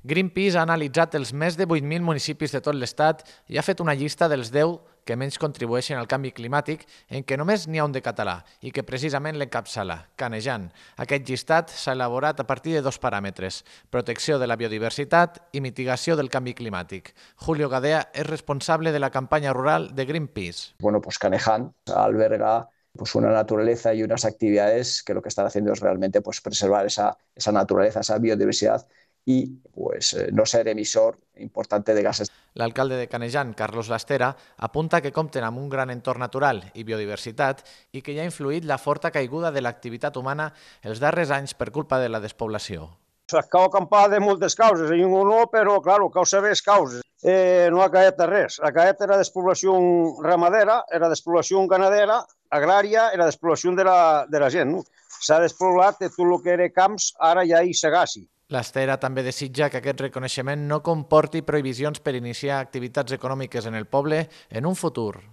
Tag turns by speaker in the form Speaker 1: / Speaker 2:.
Speaker 1: Greenpeace ha analitzat els més de 8.000 municipis de tot l'Estat i ha fet una llista dels 10 que menys contribueixen al canvi climàtic, en què només n'hi ha un de català i que precisament l'encapçala, Canejan. Aquest llistat s'ha elaborat a partir de dos paràmetres: protecció de la biodiversitat i mitigació del canvi climàtic. Julio Gadea és responsable de la campanya rural de Greenpeace.
Speaker 2: Canejan alberga una naturaleza y unas actividades que lo que están haciendo es realmente preservar esa naturaleza, esa biodiversidad y no ser emisor importante de gases.
Speaker 1: L'alcalde de Canejan, Carlos Lastera, apunta que compten amb un gran entorn natural i biodiversitat i que hi ha influït la forta caiguda de l'activitat humana els darrers anys per culpa de la despoblació.
Speaker 3: Cau acampar de moltes causes, ningú no, però, clar, cal saber les causes. No ha caet res. Ha caet era despoblació ramadera, era despoblació ganadera, agrària, era despoblació de la gent. S'ha despoblat tot el que era camps, ara ja hi segassi.
Speaker 1: Lastera també desitja que aquest reconeixement no comporti prohibicions per iniciar activitats econòmiques en el poble en un futur.